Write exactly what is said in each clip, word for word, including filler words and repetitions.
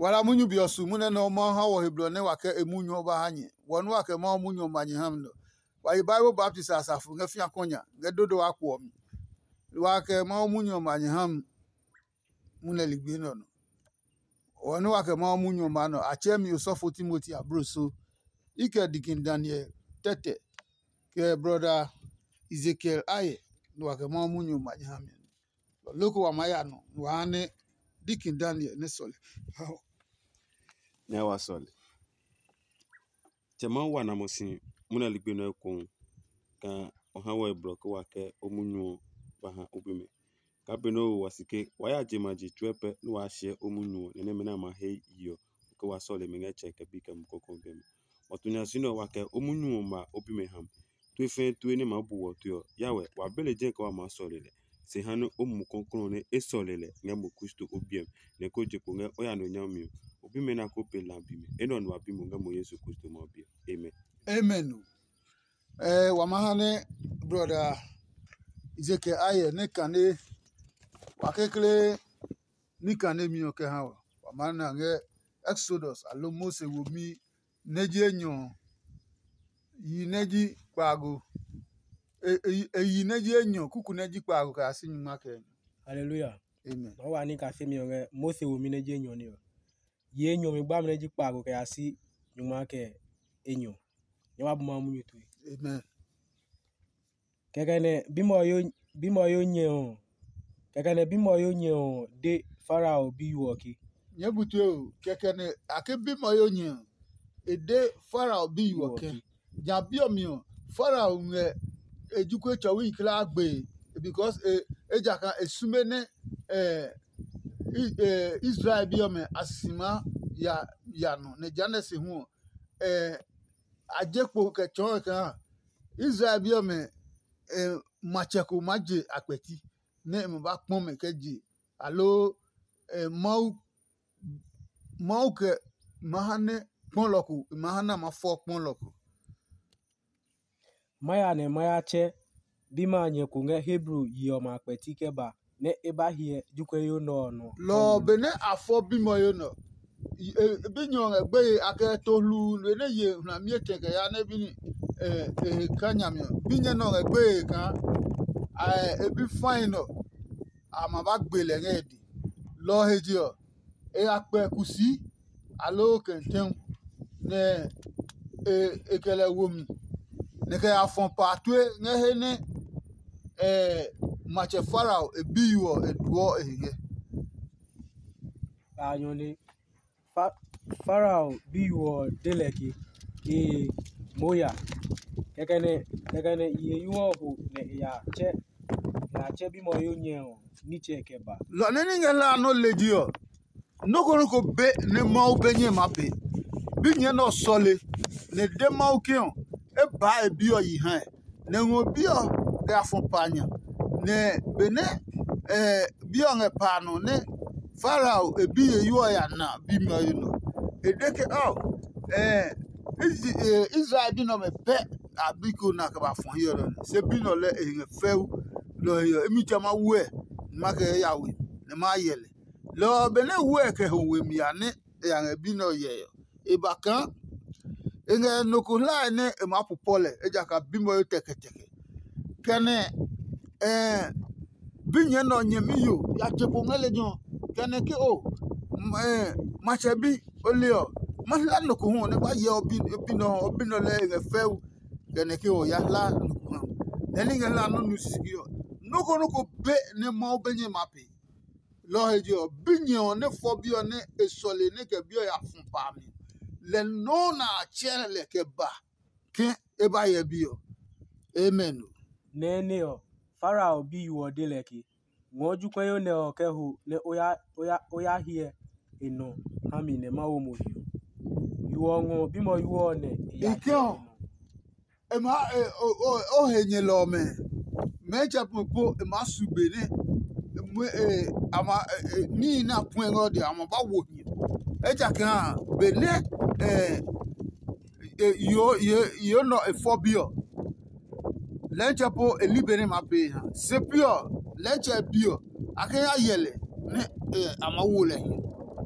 Wa la munyu be ɔ su munyu nɛ Mawu ha wɔ he blɔ nɛ wa kɛ e munyu ɔ ba ha nyɛ. Wɔ nɛ wa kɛ Mawu munyu ɔ ma nyɛ ha mi nɛ ɔ, wa yi Bible baptisi a safo ngɛ fĩa kɔnya ngɛ dodo wa kpo ɔ mi. Wa kɛ Mawu munyu ɔ ma nyɛ ha mi munyu ligbi nɛ ɔ nɔ. Wɔ nɛ wa kɛ Mawu munyu ɔ ma nɛ ɔ, a tsɛɛ mi osɔfo Timoti abloso. I kɛ Dikin Daniel tɛtɛ, kɛ brɔda Ezekiel Aye, nɛ wa kɛ Mawu munyu ɔ ma nyɛ ha mi. Loko wa maa ya nɔ wa ha nɛ Dikin Daniel nɛ sɔle. Nɛ wa sɔle. Tsɛ Mawu wa na mo si munyu ligbi nɛ ekohu kaa o ha wɛ blɔ ke wa kɛ o munyu ɔ ba ha o bimɛ. Kaa benɛ o wo wa si ke wa ya je ma je tsuɛ pɛ nɛ waa hyɛ o munyu ɔ nɛ nɛmɛ nɛ a ma he yi ɔ ke wa sɔle mi ngɛ Tsɛ kɛ Bi kɛ Mumi Klɔuklɔu ɔ biɛ mi. Wa tu nya si nɛ ɔ wa kɛ o munyu ɔ ma o bimɛ ha mi. Tue fɛɛ tue nɛ maa bu wɔ tue ɔ, ya wɛ wa be lejɛ kɛ wa maa sɔle lɛ. Se ha nɛ o Mumi Klɔuklɔu ɔ nɛ e sɔle lɛ ngɛ mo Kristo o biɛ mi, nɛ ko je kpo ngɛ o ya nɔ nyami ɔ, o bimɛ nɛ a ko pee la a bi mi. Enɛ ɔ nɛ wa bi mo ngɛ mo Yesu Kristo Mawu bi ɔ. Amen. Amen. Ɛ wa ma ha nɛ brɔda Ezekiel Ayɛ nɛ kane wa kekle ní kanemi ɔ kɛ ha wɔ. Wa maa na ngɛ Exodus aloo Mose womi nɛ ji enyɔ ɔ, yi nɛ ji kpaago. E yi nɛ ji enyɔ kuku nɛ ji kpaago kɛ ya si nyingma kɛ enyɔ. Haleluya. Amen. Nɔ wa ní kasemi ɔ ngɛ Mose womi nɛ ji enyɔ ní ɔ. Yi enyɔ mi gbami nɛ ji kpaago kɛ ya si nyingma kɛ enyɔ. Nyɛ wa bu ma munyu tue. Amen. Kɛkɛ nɛ bimɛ ɔ yo bimɛ ɔ yo nyɛ ɔ kɛkɛ nɛ bimɛ ɔ yo nyɛ ɔ de Farao biyo ɔ ke. Nyɛɛ bu tue o, kɛkɛ nɛ a ke bimɛ ɔ yo nyɛ ɔ, e de Farao biyo ɔ ke. Ja bi ɔ mi ɔ, Farao ngɛ e jokuɛ tsɔwi kulaa gbe, because e ejakaa e sume nɛ eh, I- eh, Israel bi ɔmɛ a si maa ya ya nɔ, nɛ jehanɛ se hu ɔ, eh, a je kpo kɛ tsɔɔ kaa Israel bi ɔmɛ eh, matsɛ ko maa je a kpɛti nɛ e ma ba kpɔ mɛ kɛ je, aloo eh, Mawu Mawu kɛ ma ha nɛ kpɔlɔ ko e ma ha nɛ a ma fɔ kpɔlɔ ko. Ma ya nɛ ma ya tsɛ bimɛ a nyɛ ko ngɛ Hebru yi ɔmɛ a kpɛti kɛ ba nɛ e ba hyɛ jokuɛyo nɛ ɔ nɔ. Lɔ ɔ, benɛ a fɔ bimɛ ɔ yo nɔ, binyɛ ɔ ngɛ gbeye a kɛ to hluu nɛ ye hlami etɛ kɛ ya nɛ bini e he kaa nyami ɔ, binyɛ nɛ ɔ ngɛ gbeye kaa e bi fai nɔ a ma ba gbe lɛ ngɛ e dɛ. Lɔ ɔ he je ɔ, e ya kpɛ kusii aloo kɛntɛu, nɛ e kɛ lɛ wo mi, nɛ kɛ ya fɔ pa tue ngɛ he nɛ matsɛ Farao e biyo ɔ e duɔ e he ngɛ. Kpaanyɔ ne Farao biyo ɔ de lɛ ke, ee, moo ya. Kɛkɛ nɛ kɛkɛ nɛ yiheyo ɔ ho nɛ e ya tsɛ e ya tsɛ bimɛ ɔ yo nyɛ ɔ nitsɛ kɛ ba. Lɔ nɛ ní ngɛ hlaa nɔ́ lejɛ ɔ, nɔ́ ko nɔ́ ko be nɛ Mawu be nyɛ maa pee. Binyɛ nɛ ɔ sɔle, nɛ e de Mawu ke ɔ, e baa e bi ɔ yi ha ɛ, nɛ e ngɔ bi ɔ kɛ ya fɔ pa a nya. Nɛ benɛ bi ɔ ngɛ pa a nɔ nɛ Farao e biye yo ɔ ya na bimɛ ɔ yi nɔ, e de ke, ɔ, Israel bi nɛ ɔmɛ pɛ a bi ko na kɛ ba fɔ hiɛ ɔ nɛ, se bi nɛ ɔ lɛ e ngɛ fɛu. Lɔ ɔ he ɔ, imi tsa ma wuɛ, ma kɛ ya we, nɛ ma yɛ lɛ. Lɔ ɔ benɛ wuɛ kɛ ho we mi a nɛ e ya ngɛ bi nɛ ɔ yɛ ɔ, e ba kaa e ngɛ nɔ ko hlae nɛ e maa pu pɔ lɛ, ejakaa bimɛ ɔ he tɛkɛtɛkɛ. Kɛnɛ binyɛ nɛ ɔ nyɛmi yo ya je kpo ngɛ lejɛ ɔ, kɛnɛ ke o, matsɛ bi o le ɔ, ma hla nɔ ko hu nɛ ba hyɛ ɔ bi nɔ ɔ, bi nɔ lɛ e ngɛ fɛu, kɛnɛ ke o ya hla nɔ ko ha. Nɛ ní ngɛ hla nɔ́ nu sisigi ɔ, nɔ́ ko nɔ́ ko be nɛ Mawu be nyɛ ma pee. Lɔ ɔ he je ɔ, binyɛ ɔ nɛ fɔ bi ɔ nɛ e sɔle nɛ kɛ bi ɔ ya fɔ pa a mi, lɛ nɔuu nɛ a tsɛ lɛ kɛ ba ke e ba hyɛ bi ɔ. Amen. Nɛɛ nɛ ɔ, Farao biyo ɔ de lɛ ke, ngɔɔ jokuɛyo nɛ ɔ kɛ ho nɛ o ya o ya o ya hyɛ e nɔ ha mi nɛ ma wo mo hiɔ. Yo ɔ ngɔ bimɛ ɔ ɔ nɛ e ya Ikɛ hyɛ ɔ, e nɔ. E maa e o o o he nyɛlɔ ɔmɛ. Mɛɛ tsɛ po po e maa su be nɛ e mu e a ma e e níhi nɛ a puɛ ngɛ ɔ de a ma ba wo hiɛ. Ejakaa benɛ e e yo yo yo nɔ e fɔ bi ɔ, lɛntsɛ po e li be nɛ ma pee ha. Se pi ɔ, lɛntsɛ bi ɔ, a kɛ ya hyɛ lɛ nɛ e a ma wo lɛ hiɛ.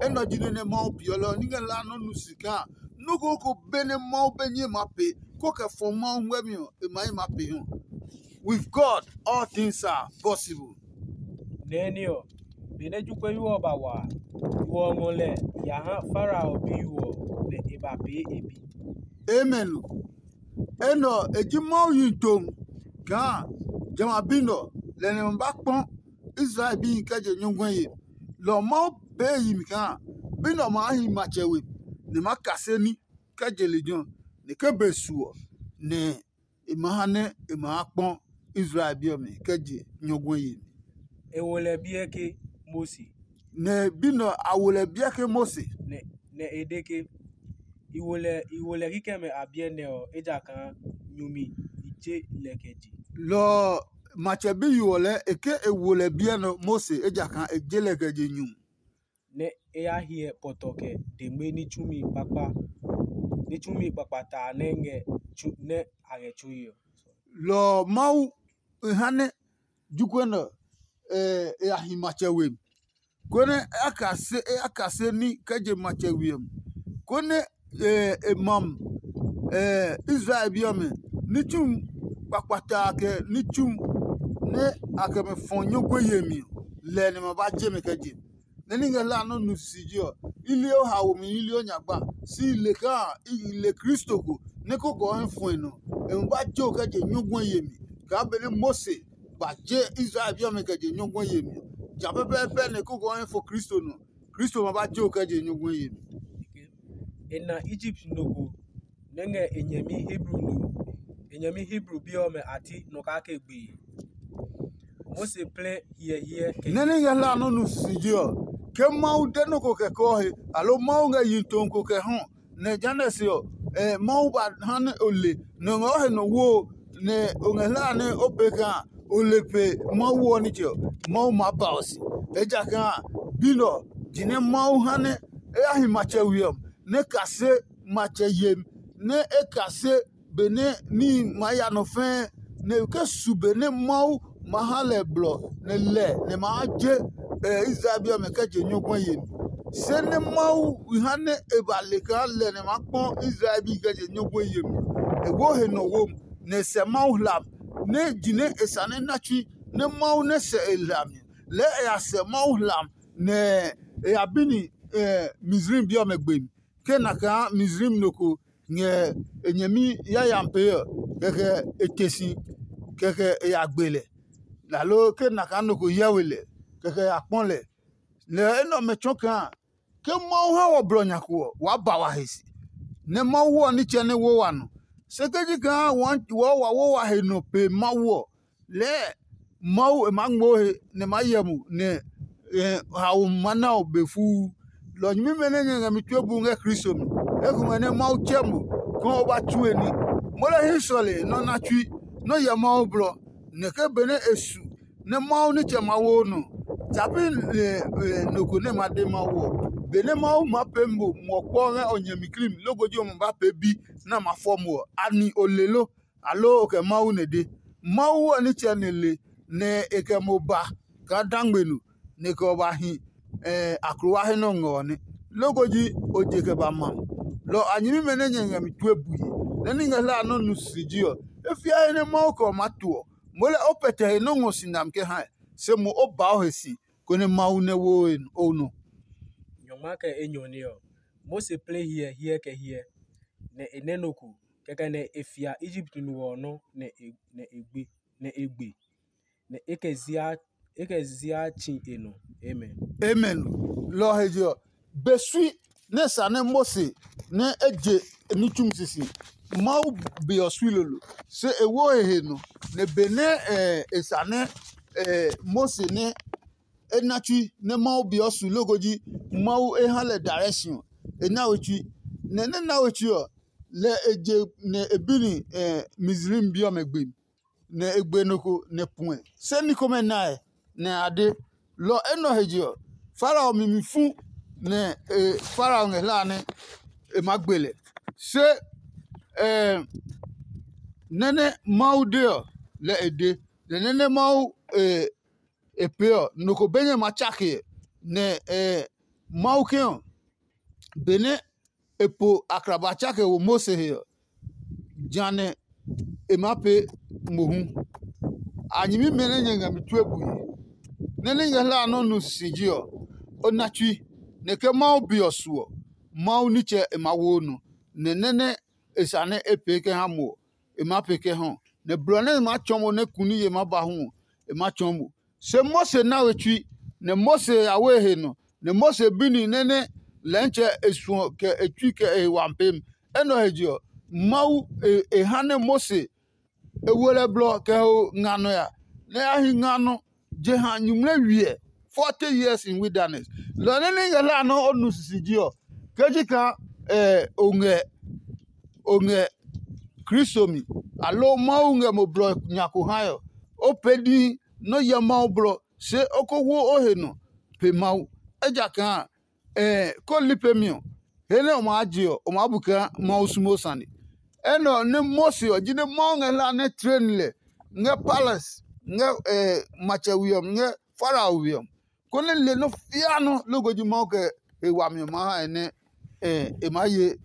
Enɛ ɔ ji nɔ́ nɛ Mawu peelɔ ɔ, ní ngɛ hlaa nɔ́ nu si kaa nɔ́ ko ko be nɛ Mawu be nyɛ ma pee, kó kɛ fɔ Mawu ngmɛmi ɔ, e ma yi ma pee hu. With God, all things are possible. Nɛɛ ní ɔ, benɛ jokuɛyo ɔ ba wa a, yo ɔ ngɔ lɛ ya ha Farao biyo ɔ, nɛ e ba pee e bi. Amen. Enɛ ɔ, e ji Mawu yi tom kaa jamɛ a bi nɛ ɔ, lɛ nɛ ma ba kpɔ Israel bihi kɛ je nyɔguɛ ye. Lɔ ɔ Mawu pee yi mi kaa bi nɛ ɔ maa hi matsɛ we, nɛ ma kase ní kɛ je lejɛ ɔ, nɛ ke be su ɔ, nɛ e ma ha nɛ e ma ha kpɔ Israel bi ɔmɛ kɛ je nyɔguɛ yemi. E wo lɛ biɛ ke Mose. Nɛ bi nɛ ɔ, a wo lɛ biɛ ke Mose. Nɛ e de ke, i wo lɛ i wo lɛ kikɛmɛ a biɛ nɛ ɔ, ejakaa nyumi i je lɛ kɛ je. Lɔ ɔ, matsɛ biyo ɔ lɛɛ e ke e wo lɛ biɛ nɛ ɔ Mose, ejakaa e je lɛ kɛ je nyumi. Nɛ e ya hyɛ pɔtɔ kɛ dengme ní tsumi kpakpa ní tsumi kpakpataa nɛ ngɛ tsu nɛ a ngɛ tsui ɔ. Lɔ ɔ Mawu e ha nɛ jokuɛ nɛ ɔ, e ya hi matsɛ we mi, konɛ e ya kase e ya kase ní kɛ je matsɛ we ɔ mi, konɛ e mam Israel bi ɔmɛ ní tsumi kpakpataa kɛ ní tsumi nɛ a kɛ mɛ fɔ nyɔguɛ yemi ɔ, lɛ nɛ ma ba je mɛ kɛ je. Nɛ ní ngɛ hlaa nɔ́ nu sisi ji ɔ, i li o haomi, i li o nyagba, si i le kaa i le Kristo ko nɛ kókó ɔ hɛ fue nɔ. E ma ba je o kɛ je nyɔguɛ yemi kaa benɛ Mose ba je Israel bi ɔmɛ kɛ je nyɔguɛ yemi ɔ. Ja pɛpɛɛpɛ nɛ kókó ɔ hɛ fo Kristo nɔ, Kristo ma ba je o kɛ je nyɔguɛ yemi. E na Egipt no ko nɛ ngɛ e nyɛmi Hebru no e nyɛmi Hebru bi ɔmɛ a ti nɔ kake gbee. Mose plɛ hiɛhiɛ kɛ nɛ ní ngɛ hlaa nɔ́ nu sisi ji ɔ, ke Mawu de nɔ́ ko kɛ kɔɔ he, aloo Mawu ngɛ yi too ko kɛ hɔ, nɛ jehanɛ se ɔ, Mawu ba ha nɛ o le nɛ o ngɛ o he nɔ wo, nɛ o ngɛ hlaa nɛ o pee kaa o le pe Mawu ɔ nitsɛ ɔ, Mawu maa ba o si. Ejakaa a, bi nɛ ɔ, jinɛ Mawu ha nɛ e ya hi matsɛ we ɔ, nɛ e kase matsɛ yemi, nɛ e kase benɛ níhi maa ya nɔ fɛɛ, nɛ ke su benɛ Mawu ma ha lɛ blɔ nɛ lɛ nɛ maa je Israel bi ɔmɛ kɛ je nyɔguɛ yemi. Se nɛ Mawu ha nɛ e ba le kaa lɛ nɛ maa kpɔ Israel bi kɛ je nyɔguɛ yemi. E wo he nɔ wom, nɛ e sɛ Mawu hlam, nɛ jinɛ e sane na tsui, nɛ Mawu nɛ sɛ e hlami. Lɛɛ e ya sɛ Mawu hlam, nɛ e ya bi ni Misraim bi ɔmɛ gbe mi. Ke na kaa Misraim no ko ngɛ e nyɛmi yayami pee ɔ, kɛkɛ e te si, kɛkɛ e ya gbe lɛ. Aloo ke na kaa nɔ ko hyɛ we lɛ, kɛkɛ e ya kpɔ lɛ. Lɛ enɛ ɔmɛ tsɔɔ kaa ke Mawu ha wɔ blɔ nya ko ɔ, waa ba wa he si, nɛ Mawu ɔ nitsɛ nɛ wo wa nɔ. Se ke ji kaa wɔɔ wa wo wa he nɔ pe Mawu ɔ, lɛɛ Mawu e maa ngmoo he nɛ e maa hyɛ mo nɛ haomi ma na o be fuu. Lɔ nyɛmimɛ nɛ nyɛ ngɛ mi tue bu ngɛ Kristo mi, ekomɛ nɛ Mawu tsɛ mo kaa o ba tsue ní. Mo lɛ hii sɔle nɔ́ na tsui, nɔ́ hyɛ Mawu blɔ, nɛ ke benɛ e su nɛ Mawu nitsɛ ma wo nɔ, tsa pi nɔ ko nɛ ma de Mawu ɔ. Benɛ Mawu maa pee mo muɔ kpɔ ngɛ o nyɛmi klim loko ji ɔmɔ ba pee bi nɛ a ma fɔ mo ɔ, ani o le lo? Aloo o kɛ Mawu nɛ de? Mawu ɔ nitsɛ nɛ le nɛ e kɛ mo ba kaa dangme no, nɛ e kɛ o ba hi aklowa he nɛ o ngɛ ɔ nɛ. Loko ji o je kɛ ba ma. Lɔ a nyɛmimɛ nɛ nyɛ ngɛ mi tue bue, nɛ ní ngɛ hlaa nɔ́ nu sisi ji ɔ, e fia he nɛ Mawu kɛ o maa to ɔ, moo lɛ o pɛtɛ he nɔ́ ngɔ si nami kɛ hae, se mo o ba o he si, konɛ Mawu nɛ wo o nɔ. Nyɔngma kɛ enyɔ nɛ ɔ, Mose plɛ hyɛ hyɛ kɛ hyɛ, nɛ e nɛ nɔ ko. Kɛkɛ nɛ e fia Egipt no ɔ nɔ́ nɛ e gbe, nɛ e gbe, nɛ e kɛ zia e kɛ zia tsi e nɔ. Amen. Amen. Lɔ ɔ he je ɔ, be sui nɛ sa nɛ Mose nɛ e je ní tsumi sisi, Mawu be ɔ sui lolo, se e wo e he nɔ, nɛ benɛ e sa nɛ Mose nɛ e na tsui nɛ Mawu be ɔ su loko ji Mawu e ha lɛ direction ɔ, e na we tsui. Nɛ nɛ na we tsui ɔ, lɛ e je nɛ e bi ni Misraim bi ɔmɛ gbe mi, nɛ e gbe nɔ ko nɛ puɛ. Se ní komɛ nae, nɛ a de. Lɔ enɛ ɔ he je ɔ, Farao mi mi fu, nɛ Farao ngɛ hlaa nɛ e maa gbe lɛ. Se nɛ nɛ Mawu de ɔ, lɛ e de, nɛ nɛ nɛ Mawu e pee ɔ, nɔ ko be nyɛ ma tsake, nɛ Mawu ke ɔ, benɛ e po akraba tsa kɛ wo Mose he ɔ, jehanɛ e maa pee mohu. A nyɛmimɛ nɛ nyɛ ngɛ mi tue bue, nɛ nɛ nyɛ hla nɔ́ nu sisiji ɔ, o na tsui, nɛ ke Mawu be ɔ su ɔ, Mawu nitsɛ e maa wo nɔ, nɛ nɛ nɛ e sa nɛ e pee kɛ ha mo ɔ, e maa pee kɛ ha ɔ, nɛ blɔ nɛ e maa tsɔɔ mo nɛ kuniye maa ba hu ɔ, e maa tsɔɔ mo. Se Mose na we tsui, nɛ Mose ya wo e he nɔ, nɛ Mose bi ni nɛ nɛ lɛntsɛ e suɔ kɛ e tsui kɛ e he wami pemi. Enɛ ɔ he je ɔ, Mawu e ha nɛ Mose e wo lɛ blɔ kɛ ho nga nɔ ya, nɛ ya hi nga nɔ jeha nyuŋmlɛ wiɛ forty years in wilderness. Lɔ nɛ nɛ ngɛ hla nɔ́ o nu sisiji ɔ, ke ji kaa o ngɛ o ngɛ Kristo mi, aloo Mawu ngɛ mo blɔ nya ko hae ɔ, o pee níhi nɔ́ hyɛ Mawu blɔ, se o ko wo o he nɔ pe Mawu. Ejakaa ko li pemi ɔ, he nɛ o maa je ɔ, o maa bu kaa Mawu sumo sane. Enɛ ɔ nɛ Mose ɔ, jinɛ Mawu ngɛ hla nɛ tleni lɛ ngɛ palace ngɛ matsɛ we ɔ mi, ngɛ Farao we ɔ mi, konɛ le nɔ́ fia nɔ́ loko ji Mawu kɛ he wami ɔ maa ha e nɛ e maa ye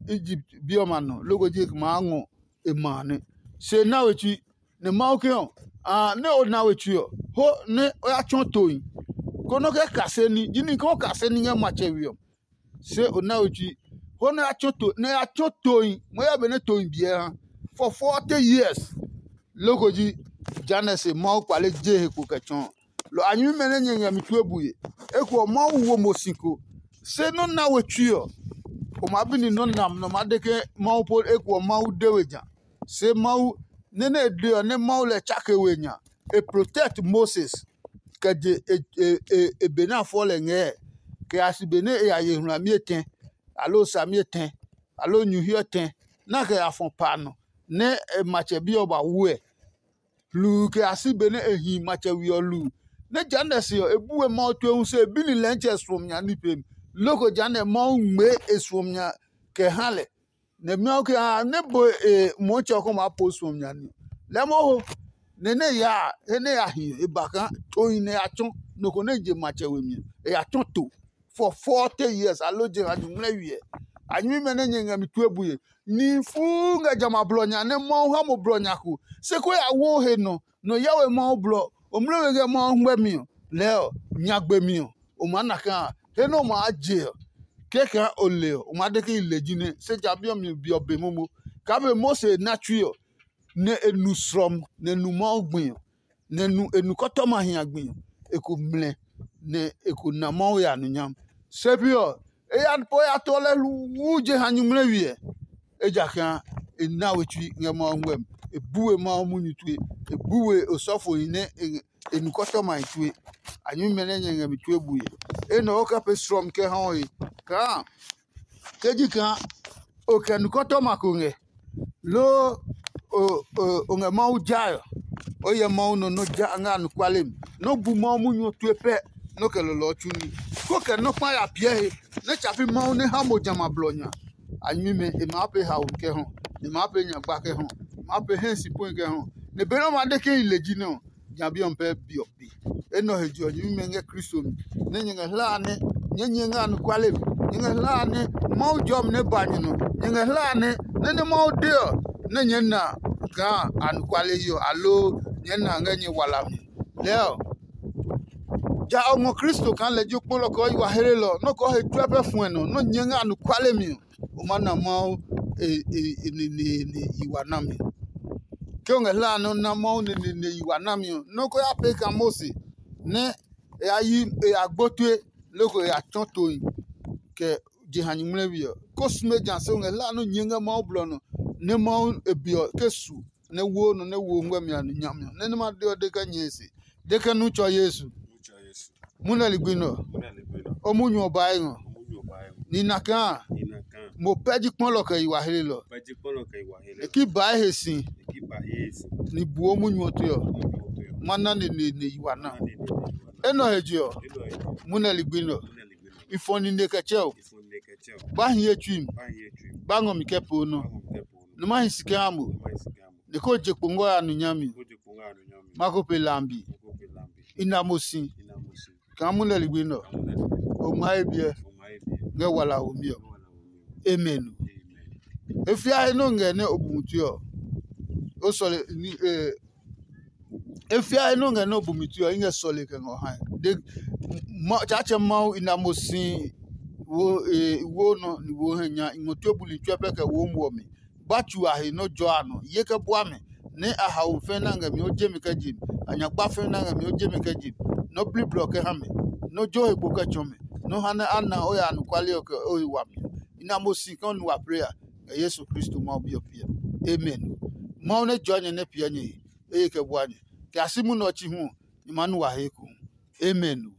Egipt bi ɔmɛ a nɔ, loko ji e maa ngɔ e ma a nɛ. Se na we tsui, nɛ Mawu ke ɔ, nɛ o na we tsui ɔ, ho nɛ o ya tsɔ tohi, konɛ o kɛ kase ní. Jinɛ ke o kase ní ngɛ matsɛ we ɔ, se o na we tsui, ho nɛ o ya tsɔ to nɛ ya tsɔ tohi, mo ya benɛ tohi biɛ ha for forty years. Loko ji Janɛ se Mawu kpale je he kpo kɛ tsɔ ɔ. Lɔ a nyɛmimɛ nɛ nyɛ ngɛ mi tue bue. Eko ɔ, Mawu wo mo si ko. Se nɔ́ na we tsui ɔ, o maa bi ni nɔ́ nam nɛ o maa de ke Mawu po eko ɔ Mawu de we ja. Se Mawu nɛ nɛ e de ɔ nɛ Mawu lɛ tsake we nya. E protect Moses kɛ je e e e e be nɛ a fɔ lɛ ngɛɛ, kɛ ya si be nɛ e ya ye hlami etɛ, aloo sami etɛ, aloo nyuhi etɛ, nɛ a kɛ ya fɔ pa nɔ, nɛ e matsɛ bi ɔ ba wuɛ. Hluu kɛ ya si benɛ e hi matsɛ we ɔ hluu. Nɛ jehanɛ se ɔ, e bu we Mawu tue hu se e bi ni lɛntsɛ suɔmi nya ní pemi. Loko jehanɛ Mawu ngmɛɛ e suɔmi nya kɛ ha lɛ. Nɛ Mawu ke haa nɛ bo e Mɔtsɛ ɔ kɔ maa po suɔmi nya ní. Lɛɛ mohu nɛ nɛ ya a, he nɛ ya hi ɔ, e ba kaa tohi nɛ ya tsɔ nɔ ko nɛ je matsɛ we mi ɔ, e ya tsɔ to for forty years, aloo jeha nyuŋmlɛ wiɛ. A nyɛmimɛ nɛ nyɛ ngɛ mi tue bue. Nihi fuu ngɛ jamɛ a blɔ nya nɛ Mawu ha mo blɔ nya ko, se ko ya wo he nɔ nɔ Yawe Mawu blɔ, o mlɛ we ngɛ Mawu hwɛmi ɔ, lɛɛ ɔ, nyagbe mi ɔ, o maa na kaa he nɛ o maa je ɔ, kɛkɛ o le ɔ, o maa de ke i le jinɛ, se ja bi ɔ mi be ɔ be momo. Kaa be Mose na tsui ɔ, nɛ e nu slɔm, nɛ e nu Mawu gbi ɔ, nɛ e nu kɔtɔmahi a gbi ɔ, e ko mlɛ, nɛ e ko na Mawu ya nonyam. Se pi ɔ, e ya po ya to lɛ hluu jeha nyuŋmlɛ wiɛ, ejakaa e na we tsui ngɛ Mawu ngmɛmi. E bu we Mawu munyu tue, e bu we osɔfohi nɛ e e nu kɔtɔmahi tue. A nyumu nɛ nyɛ ngɛ mi tue bue. Enɛ o kɛ pee slɔmi kɛ ha o he kaa ke ji kaa o kɛ nu kɔtɔma ko ngɛ, loo o ngɛ Mawu jae ɔ, o hyɛ Mawu nɔ nɔ́ ja ngɛ anɔkuale mi, nɔ́ bu Mawu munyu ɔ tue pɛ, nɔ́ kɛ lɔlɔ ɔ tsu ní. Ko kɛ nɔ́ kpa ya piɛ he nɛ tsa pi Mawu nɛ ha mo jamɛ a blɔ nya. A nyumu e maa pee haomi kɛ hɔ, e maa pee nyagba kɛ hɔ, e maa pee hɛ si pue kɛ hɔ. Nɛ benɛ o ma de ke i le ji nɛ ɔ, nya bi ɔ pɛ bi ɔ pi. Enɛ ɔ he je ɔ, nyɛmimɛ ngɛ Kristo mi, nɛ nyɛ ngɛ hlaa nɛ nyɛɛ nyɛ ngɛ anɔkuale mi. Nyɛ ngɛ hlaa nɛ Mawu jɔmi nɛ ba nyɛ nɔ. Nyɛ ngɛ hlaa nɛ nɛ nɛ Mawu de ɔ, nɛ nyɛɛ na kaa anɔkuale yi ɔ, aloo nyɛɛ na ngɛ nyɛ wala mi. Lɛɛ ɔ, ja o ngɔ Kristo kaa lɛ ji o kpɔlɔ kɛ o yi wa hlelɔ, nɔ́ kɛ o he tsuɛ pɛ fuɛ nɔ, nɔ́ nyɛ ngɛ anɔkuale mi ɔ, o maa na Mawu e e e neneene yi wa nami. Ke o ngɛ hlaa nɛ o na Mawu neneene yi wa nami ɔ, nɔ́ ko ya pee kaa Mose nɛ e ya yi e ya gbo tue, loko e ya tsɔ tohi kɛ jeha nyuŋmlɛwi ɔ. Ko sume ja se o ngɛ hlaa nɛ o nyɛ ngɛ Mawu blɔ nɔ, nɛ Mawu e be ɔ ke su nɛ wo nɔ nɛ wo ngmɛmi a nyami ɔ, nɛ nɛ ma de ɔ de kɛ nyɛe se, de kɛ nu tsɔ Yesu. Munɛ ligbi nɛ ɔ, o munyu ɔ bae ngɔ. Ni na kaa mo pɛ ji kpɔlɔ kɛ yi wa helelɔ. E ki bae he si ni buo munyu ɔ tue ɔ, ma na neneene yi wa na. Enɛ ɔ he je ɔ, munɛ ligbi nɛ ɔ, i fɔ nine kɛ tsɛ o. Ba hi ye tsui mi, ba ngɔ mi kɛ poo nɔ. Nɛ ma hi si kɛ ha mo, nɛ ko je kpo ngɔ ya nu nyami. Ma ko pe lambi. I na mo si kaa munɛ ligbi nɛ ɔ. o ngma ye biɛ ngɛ wala womi ɔ. Amen. E fia he nɔ ngɛ nɛ o bu mutui ɔ, o sɔle ni e e fia he nɔ ngɛ nɛ o bu mutui ɔ, i ngɛ sɔle kɛ ngɔ hae. De Tsaatsɛ Mawu i na mo si wo e wo nɔ ni wo hɛ nya i ngɔ tue buli tsuɛ pɛ kɛ wo muɔ mi. Ba tsu a he nɔ jɔ a nɔ ye kɛ bua mɛ, nɛ a haomi fɛ̃ na ngɛ mi o je mi kɛ je mi, a nyagba fɛ̃ na ngɛ mi o je mi kɛ je mi, nɔ bliblɔ kɛ ha mɛ, nɔ jo he kpo kɛ tsɔ mɛ, nɔ ha nɛ a na o ya anɔkuale ɔ kɛ o he wami ɔ. I na mo si kaa o nu wa plee a, ngɛ Yesu Kristo Mawu Bi ɔ piɛ. Amen. Mawu nɛ jɔɔ nyɛ nɛ piɛ nyɛ he, eye kɛ bua nyɛ, kɛ a si munɛ ɔ chi hu ɔ, nyɛ maa nu wa he ekohu. Amen.